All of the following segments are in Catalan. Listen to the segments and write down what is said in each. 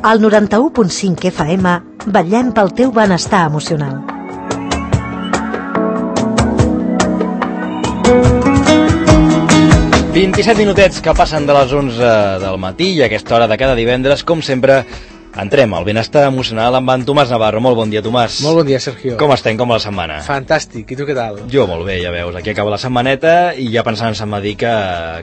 Al 91.5 FM vetllem pel teu benestar emocional. «27 minutets que passen de les 11 del matí i a aquesta hora de cada divendres, com sempre, entrem al benestar emocional amb en Tomàs Navarro. Molt bon dia, Tomàs. Molt bon dia, Sergio. Com estem? Com va la setmana? Fantàstic. I tu què tal? Jo molt bé, ja veus. Aquí acaba la setmaneta i ja pensant en Sant Madí que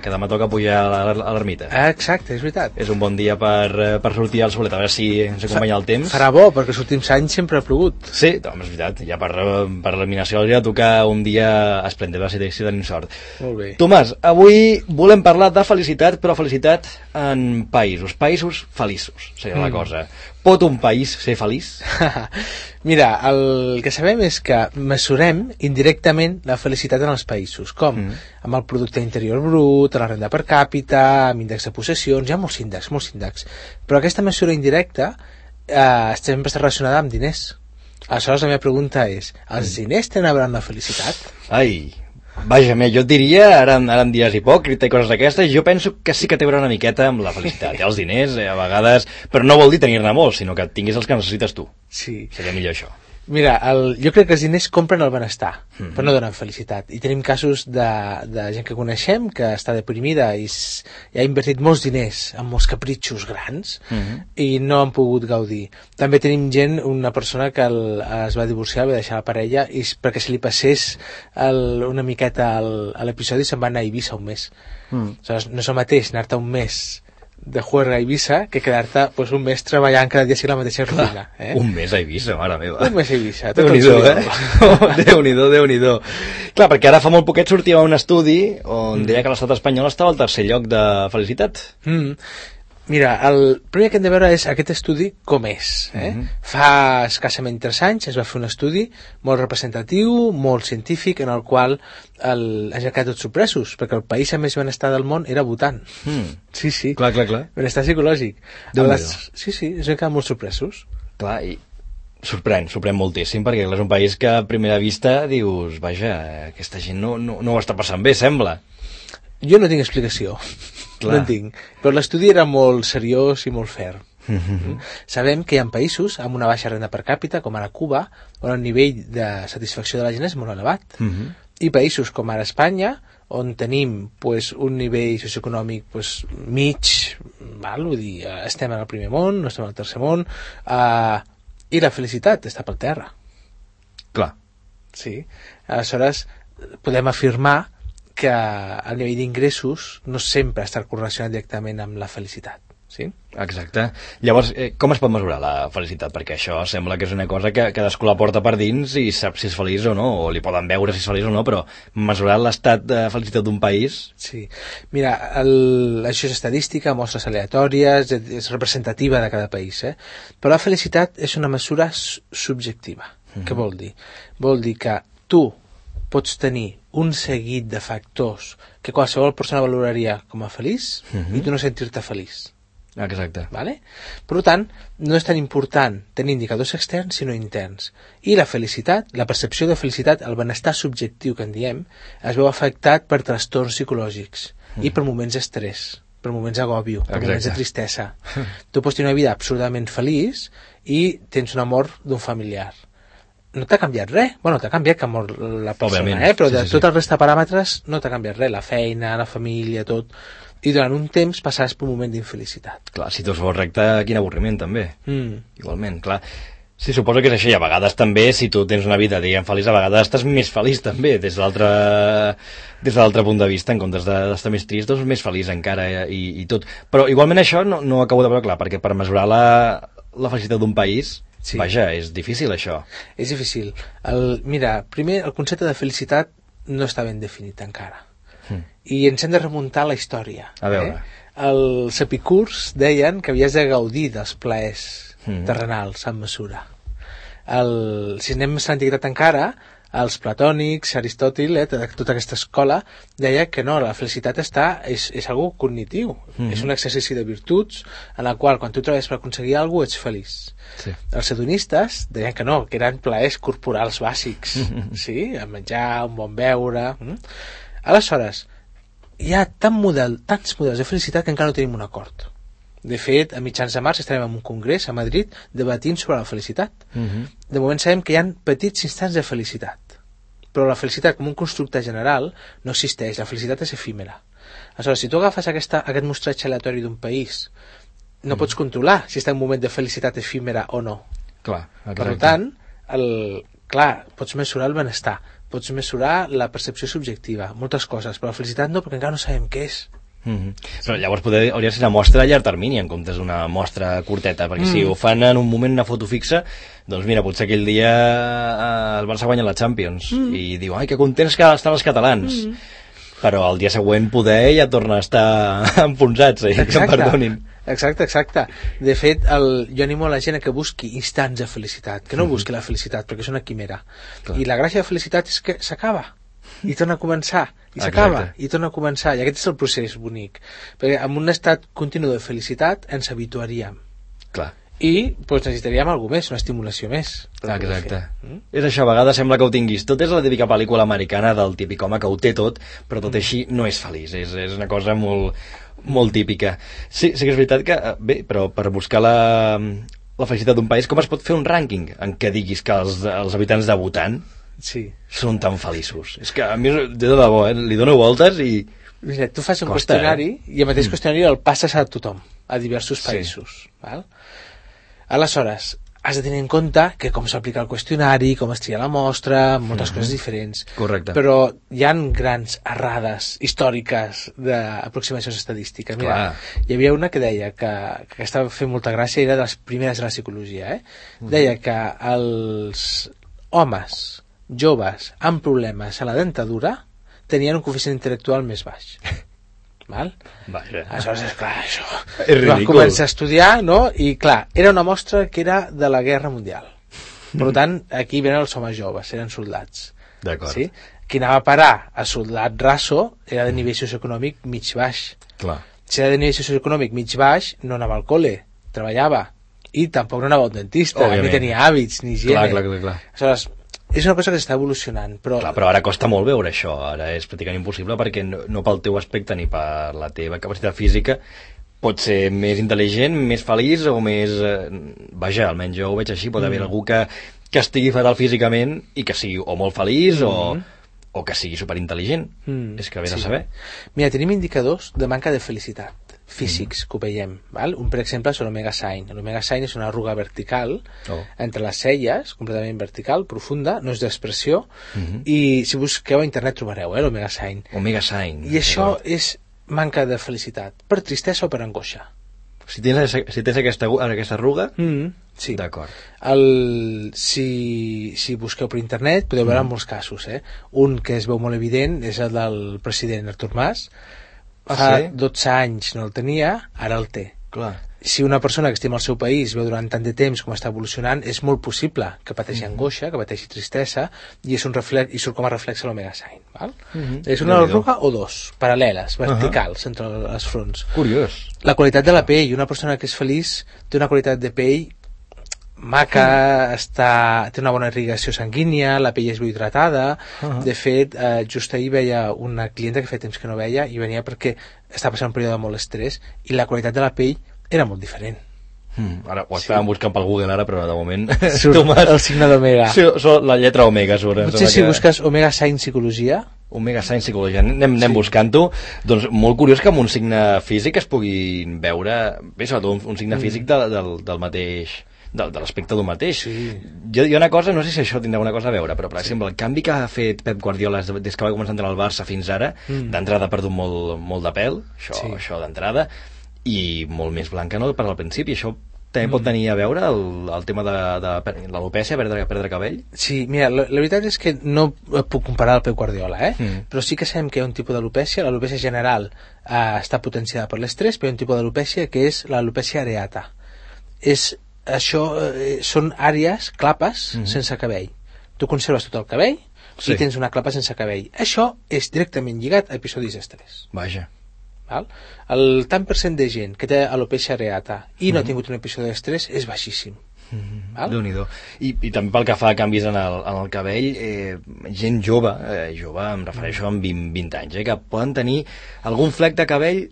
demà toca pujar a l'ermita. Exacte, és veritat. És un bon dia per sortir al solet, a veure si ens acompanya el temps. Farà bo, perquè els últims anys sempre ha plogut. Sí, home, és veritat. Ja per l'eliminació hauria de tocar un dia esplèndid, va ser si tenim sort. Molt bé. Tomàs, avui volem parlar de felicitat, però felicitat en països feliços, seria la cosa. Pot un país ser feliç? Mira, el que sabem és que mesurem indirectament la felicitat en els països. Com? Amb el producte interior brut, la renda per càpita, amb índex de possessions, hi ha molts índexs. Però aquesta mesura indirecta sempre està relacionada amb diners. Aleshores la meva pregunta és, els diners tenen a veure amb la felicitat? Ai, vaja, jo et diria, ara em diràs hipòcrita i coses d'aquestes, jo penso que sí que té a veure una miqueta amb la felicitat. Els diners, a vegades, però no vol dir tenir-ne molts, sinó que tinguis els que necessites tu. Sí. Seria millor això. Mira, jo crec que els diners compren el benestar, però no donen felicitat. I tenim casos de gent que coneixem que està deprimida i ha invertit molts diners en molts capritxos grans i no han pogut gaudir. També tenim una persona que es va divorciar, va deixar la parella i perquè se li passés una miqueta a l'episodi se'n va anar a Eivissa un mes. Aleshores, no és el mateix anar-te un mes de juerga a Eivissa que quedar-te un mes treballant cada dia la mateixa rutina. Un mes a Eivissa, mare meva. Un mes a Eivissa. Déu-n'hi-do, Déu-n'hi-do. Clar, perquè ara fa molt poquet sortia un estudi on deia que l'estat espanyol estava al tercer lloc de felicitat. Mira, el primer que hem de veure és aquest estudi com és. Fa escassament 3 anys es va fer un estudi molt representatiu, molt científic, en el qual han quedat tots sorpresos, perquè el país amb més benestar del món era Bhutan. Sí. Clar. Benestar psicològic. Sí, es van quedar molt sorpresos. Clar, i sorprèn moltíssim, perquè és un país que a primera vista dius, vaja, aquesta gent no ho està passant bé, sembla. Jo no tinc explicació. No en tinc. Però l'estudi era molt seriós i molt fair. Sabem que hi ha països amb una baixa renda per càpita, com ara Cuba, on el nivell de satisfacció de la gent és molt elevat. I països com ara Espanya, on tenim un nivell socioeconòmic mig, vull dir, estem en el primer món, no estem al tercer món, i la felicitat està per terra. Clar. Sí. Aleshores, podem afirmar que el nivell d'ingressos no sempre està correlacionat directament amb la felicitat. Sí? Exacte. Llavors, com es pot mesurar la felicitat? Perquè això sembla que és una cosa que cadascú la porta per dins i sap si és feliç o no, o li poden veure si és feliç o no, però mesurar l'estat de felicitat d'un país... Sí. Mira, això és estadística, mostres aleatòries, és representativa de cada país, però la felicitat és una mesura subjectiva. Què vol dir? Vol dir que tu pots tenir un seguit de factors que qualsevol persona valoraria com a feliç i tu no sentir-te feliç. Exacte. Vale? Per tant, no és tan important tenir indicadors externs sinó interns. I la felicitat, la percepció de felicitat, el benestar subjectiu que en diem, es veu afectat per trastorns psicològics i per moments d'estrès, per moments d'agòbio, per moments de tristesa. Tu pots tenir una vida absolutament feliç i tens una mort d'un familiar. No t'ha canviat res. Bueno, t'ha canviat que mor la persona, però de tot el resta de paràmetres no t'ha canviat res. La feina, la família, tot. I durant un temps passaràs per un moment d'infelicitat. Clar, si tot fos recte, quin avorriment, també. Igualment, clar. Sí, suposo que és això, i a vegades també, si tu tens una vida, diguem, feliç, a vegades estàs més feliç també, des de l'altre punt de vista, en comptes d'estar més trist, doncs més feliç encara i tot. Però igualment això no acabo de veure clar, perquè per mesurar la felicitat d'un país... Sí. Vaja, és difícil això. És difícil. Mira, primer, el concepte de felicitat no està ben definit encara. I ens hem de remuntar a la història. A veure. Els epicurs deien que havies de gaudir dels plaers terrenals en mesura. Si anem més a l'antiguitat encara, els platònics, Aristòtil, tota aquesta escola, deia que no, la felicitat és algo cognitiu, és un exercici de virtuts en la qual quan tu treballes per aconseguir alguna cosa ets feliç. Sí. Els hedonistes deien que no, que eren plaers corporals bàsics, sí? El menjar, un bon beure... Aleshores, hi ha tants models de felicitat que encara no tenim un acord. De fet, a mitjans de març estarem en un congrés a Madrid debatint sobre la felicitat. De moment sabem que hi ha petits instants de felicitat, però la felicitat com un constructe general no existeix, la felicitat és efímera. Aleshores, si tu agafes aquest mostratge aleatori d'un país, no pots controlar si està en un moment de felicitat efímera o no. Clar, per tant, pots mesurar el benestar, pots mesurar la percepció subjectiva, moltes coses, però la felicitat no, perquè encara no sabem què és. Però llavors hauria de ser una mostra a llarg termini en comptes d'una mostra curteta, perquè si ho fan en un moment, una foto fixa, doncs mira, potser aquell dia el Barça guanya la Champions i diu, ai, que contents que estan els catalans, però el dia següent poder ja torna a estar enfonsats, que em perdonin. Exacte. De fet, jo animo a la gent a que busqui instants de felicitat, que no busqui la felicitat, perquè és una quimera. I la gràcia de felicitat és que s'acaba i torna a començar, i s'acaba i torna a començar, i aquest és el procés bonic, perquè en un estat continu de felicitat ens habituaríem. Clar. I necessitaríem alguna més, una estimulació més. Exacte. És això, a vegades sembla que ho tinguis tot, és la típica pel·lícula americana del típic home que ho té tot, però tot així no és feliç, és una cosa molt típica. Sí que és veritat que, bé, però per buscar la felicitat d'un país, com es pot fer un rànquing en què diguis que els habitants de Bhutan són tan feliços? És que a mi, de debò, li dono voltes i... Mira, tu fas un qüestionari i el mateix qüestionari el passes a tothom, a diversos països. Val? Aleshores, has de tenir en compte que com s'aplica el qüestionari, com es tria la mostra, moltes coses diferents. Correcte. Però hi ha grans errades històriques d'aproximacions estadístiques. Mira, hi havia una que deia que estava fent molta gràcia, era de les primeres de la psicologia, deia que els homes joves amb problemes a la dentadura tenien un coeficient intel·lectual més baix. Val? Aleshores, és clar, això és ridícul. Va començar a estudiar, no? I clar, era una mostra que era de la Guerra Mundial. Per tant, aquí venen els homes joves, eren soldats. D'acord. Sí? Qui anava a parar a soldat raso era de nivell socioeconòmic mig-baix. Clar. Si era de nivell socioeconòmic mig-baix, no anava al col·le, treballava, i tampoc no anava al dentista, ni tenia hàbits, ni higiene. Clar. Aleshores, és una cosa que s'està evolucionant, però... Clar, però ara costa molt veure això, ara és pràcticament impossible perquè no pel teu aspecte ni per la teva capacitat física pot ser més intel·ligent, més feliç o més... Vaja, almenys jo ho veig així, pot haver algú que estigui fatal físicament i que sigui o molt feliç o que sigui superintel·ligent. És que ve de saber. Mira, tenim indicadors de manca de felicitat físics que ho veiem, val? Un per exemple és l'omega sign. L'omega sign és una arruga vertical entre les celles, completament vertical, profunda, no és d'expressió, i si busqueu a internet trobareu l'omega sign. Omega sign. I això és manca de felicitat, per tristesa o per angoixa. Si tens aquesta arruga? Sí. D'acord. Si busqueu per internet podeu veure molts casos. Un que es veu molt evident és el del president Artur Mas. Fa 12 anys no el tenia, ara el té. Clar. Si una persona que estima el seu país veu durant tant de temps com està evolucionant, és molt possible que pateixi angoixa, que pateixi tristesa, i és un reflex, i surt com a reflex a l'omega sign. Val? És una arruga o dos, paral·leles, verticals, entre les fronts. Curiós. La qualitat de la pell, una persona que és feliç té una qualitat de pell maca, té una bona irrigació sanguínia, la pell és ben hidratada. De fet, just ahir veia una clienta que feia temps que no veia i venia perquè està passant un període de molt estrès i la qualitat de la pell era molt diferent. Ara ho estàvem buscant pel Google ara, però de moment surt el signe d'omega. La lletra omega surt. Potser si busques omega sign psicologia, omega sign psicologia, anem buscant-ho. Doncs molt curiós que amb un signe físic es puguin veure, bé, sobretot un signe físic del mateix, de l'aspecte d'un mateix. Jo una cosa, no sé si això tindrà una cosa a veure, però per exemple el canvi que ha fet Pep Guardiola des que va començar a entrar al Barça fins ara, d'entrada ha perdut molt de pèl, això d'entrada, i molt més blanca no per al principi. Això també pot tenir a veure el tema de l'alopècia, perdre cabell? Sí, mira, la veritat és que no puc comparar el Pep Guardiola, però sí que sabem que hi ha un tipus d'alopècia. L'alopècia general està potenciada per l'estrès, però hi ha un tipus d'alopècia que és l'alopècia areata. Són àrees, clapes, sense cabell. Tu conserves tot el cabell i tens una clapa sense cabell. Això és directament lligat a episodis d'estrès. Vaja. El tant % de gent que té alopècia areata i no ha tingut un episodi d'estrès és baixíssim. Déu-n'hi-do. I també pel que fa a canvis en el cabell, gent jove, em refereixo amb 20 anys, que poden tenir algun flec de cabell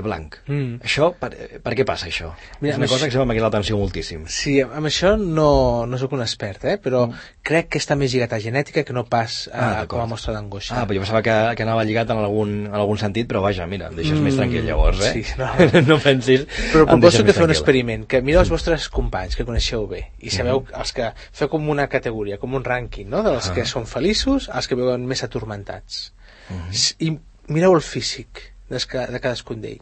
blanc. Això, per què passa això? Mira, és una cosa que sempre m'ha cridat l'atenció moltíssim. Sí, amb això no sóc un expert, però crec que està més lligat a genètica que no pas com a mostra d'angoixa. Però jo pensava que anava lligat en algun sentit, però vaja, mira, em deixes més tranquil llavors, Sí, no pensis... Però proposo que feu un experiment, que mireu els vostres companys que coneixeu bé i sabeu els que feu com una categoria, com un rànquing, no? Dels que són feliços als que veuen més atormentats. I mireu el físic de cadascun d'ell.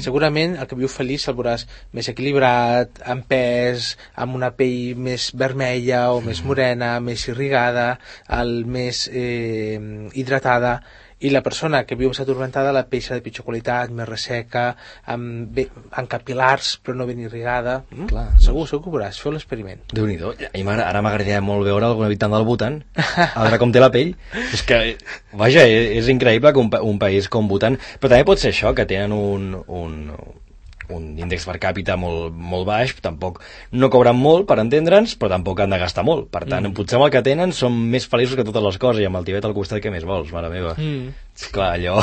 Segurament el que viu feliç el veuràs més equilibrat, amb pes, amb una pell més vermella o més morena, més irrigada, més hidratada, i la persona que viu més atormentada la pell serà de pitjor qualitat, més resseca, amb capil·lars però no ben irrigada. Segur que ho veuràs, feu l'experiment. Déu-n'hi-do, ara m'agradaria molt veure algun habitant del Bhutan, a veure com té la pell. És que, vaja, és increïble que un país com Bhutan, però també pot ser això, que tenen un índex per càpita molt baix, tampoc no cobren molt per entendre'ns, però tampoc han de gastar molt, per tant, potser amb el que tenen són més feliços que totes les coses, i amb el Tibet al costat què més vols, mare meva. Clar, allò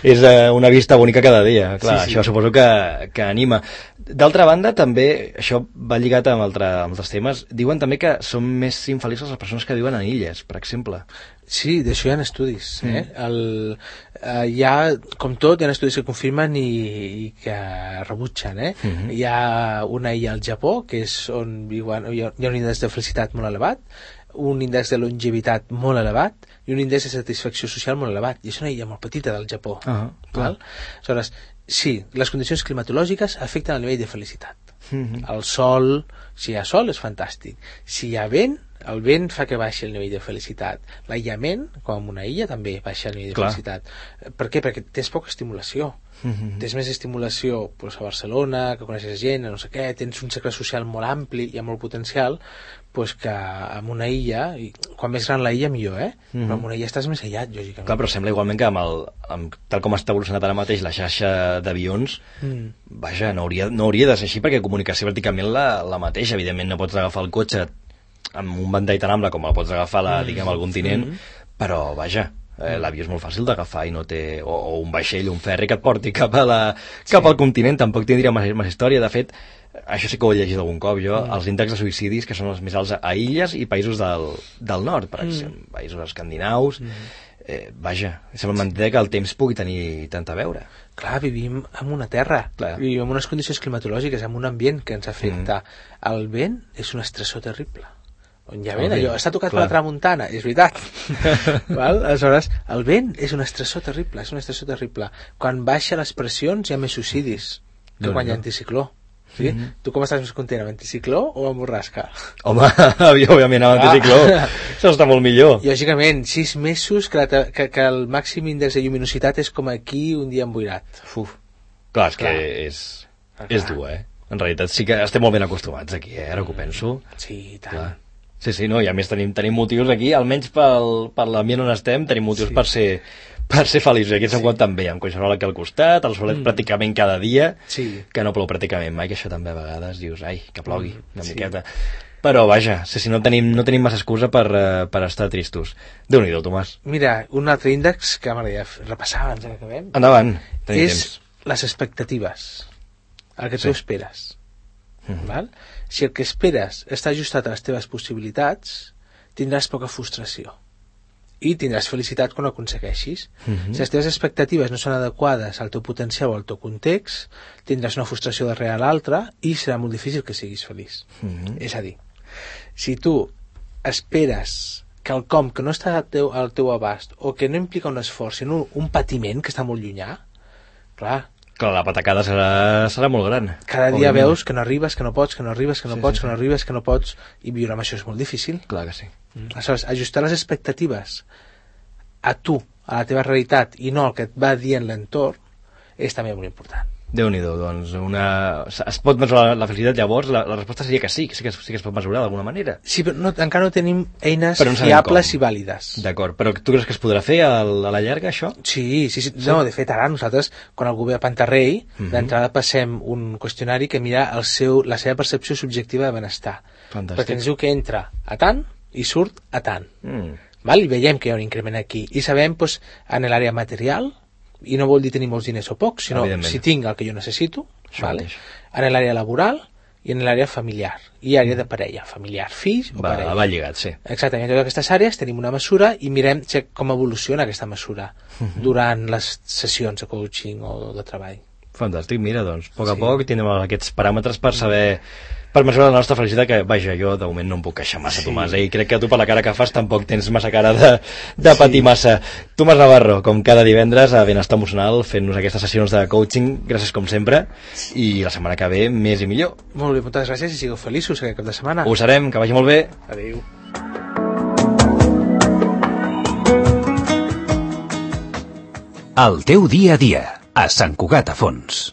és una vista bonica cada dia, clar, això suposo que anima. D'altra banda, també, això va lligat amb altres temes, diuen també que són més infeliços les persones que viuen en illes, per exemple. Sí, d'això hi ha estudis. Com tot, hi ha estudis que confirmen i que rebutgen. Hi ha una illa al Japó, que és on viuen, hi ha un índex de felicitat molt elevat, un índex de longevitat molt elevat i un índex de satisfacció social molt elevat. I és una illa molt petita del Japó. Aleshores, sí, les condicions climatològiques afecten el nivell de felicitat. El sol, si hi ha sol, és fantàstic. Si hi ha vent, el vent fa que baixi el nivell de felicitat. L'aïllament, com en una illa, també baixa el nivell de felicitat. Per què? Perquè tens poca estimulació. Tens més estimulació a Barcelona, que coneixes gent, no sé què, tens un cercle social molt ampli i amb molt potencial, que en una illa, i quan més gran la illa millor, però en una illa estàs més aïllat, lògicament. Clar, però sembla igualment que tal com està evolucionat ara mateix la xarxa d'avions, vaja, no hauria de ser així, perquè comunicació pràcticament la mateixa. Evidentment no pots agafar el cotxe amb un ventall tan ample com el pots agafar al continent, però vaja, l'avió és molt fàcil d'agafar i no té, o un vaixell, un ferri que et porti cap al continent, tampoc tindria massa història. De fet, això sí que ho he llegit algun cop jo, els índexs de suïcidis que són els més alts a illes i països del nord, per exemple, països escandinaus, vaja, sembla mentida que el temps pugui tenir tant a veure. Clar, vivim en una terra, vivim en unes condicions climatològiques, en un ambient que ens afecta. El vent és un estressor terrible. On hi ha vent, allò, està tocat per la tramuntana, és veritat. Aleshores, el vent és un estressor terrible, Quan baixa les pressions hi ha més suïcidis que quan hi ha anticicló. Tu com estàs més content, amb anticicló o amb borrasca? Home, òbviament amb anticicló, això està molt millor. Lògicament, 6 mesos que el màxim índex de lluminositat és com aquí un dia emboirat. Clar, és que és dur, En realitat sí que estem molt ben acostumats aquí, ara que ho penso. Sí, tant. Sí, no, i a més tenim motius aquí, almenys per l'ambient on estem, tenim motius per ser feliços. Aquí se'n compten també, amb collserola aquí al costat, el solet pràcticament cada dia, que no plou pràcticament mai, que això també a vegades dius, ai, que plogui una miqueta. Però vaja, no tenim massa excusa per estar tristos. Déu-n'hi-do, Tomàs. Mira, un altre índex que m'agradaria repassar abans que acabem. Endavant, tenim temps. És les expectatives, el que tu esperes. Si el que esperes està ajustat a les teves possibilitats, tindràs poca frustració i tindràs felicitat quan ho aconsegueixis. Si les teves expectatives no són adequades al teu potencial o al teu context, tindràs una frustració darrere l'altra i serà molt difícil que siguis feliç. És a dir, si tu esperes quelcom que no està al teu abast o que no implica un esforç, sinó un patiment que està molt llunyà, clar, la patacada serà molt gran. Cada dia veus que no arribes, que no pots, que no arribes, que no pots, que no arribes, que no pots, i viure amb això és molt difícil. Clar que sí. Aleshores, ajustar les expectatives a tu, a la teva realitat, i no el que et va dient l'entorn, és també molt important. Déu-n'hi-do, doncs es pot mesurar la felicitat, llavors la resposta seria que sí que es pot mesurar d'alguna manera. Sí, però encara no tenim eines fiables i vàlides. D'acord, però tu creus que es podrà fer a la llarga, això? Sí. No, de fet, ara nosaltres, quan algú ve a Pantarrei, d'entrada passem un qüestionari que mira la seva percepció subjectiva de benestar. Fantàstic. Perquè ens diu que entra a tant i surt a tant. Val? I veiem que hi ha un increment aquí. I sabem, doncs, en l'àrea material, i no vol dir tenir molts diners o pocs, sinó si tinc el que jo necessito, vale? En l'àrea laboral i en l'àrea familiar, i àrea de parella, familiar, fills o parella. Va lligat, sí. Exactament, en totes aquestes àrees tenim una mesura i mirem com evoluciona aquesta mesura durant les sessions de coaching o de treball. Fantàstic, mira, doncs, a poc a poc tindrem aquests paràmetres per saber, per mesurar la nostra felicitat, que, vaja, jo de moment no em puc queixar massa, Tomàs, i crec que tu per la cara que fas tampoc tens massa cara de patir massa. Tomàs Navarro, com cada divendres, a Benestar Emocional, fent-nos aquestes sessions de coaching, gràcies com sempre, i la setmana que ve més i millor. Molt bé, moltes gràcies i sigueu feliços aquest cap de setmana. Ho serem, que vagi molt bé. Adéu. El teu dia a dia, a Sant Cugat a Fons.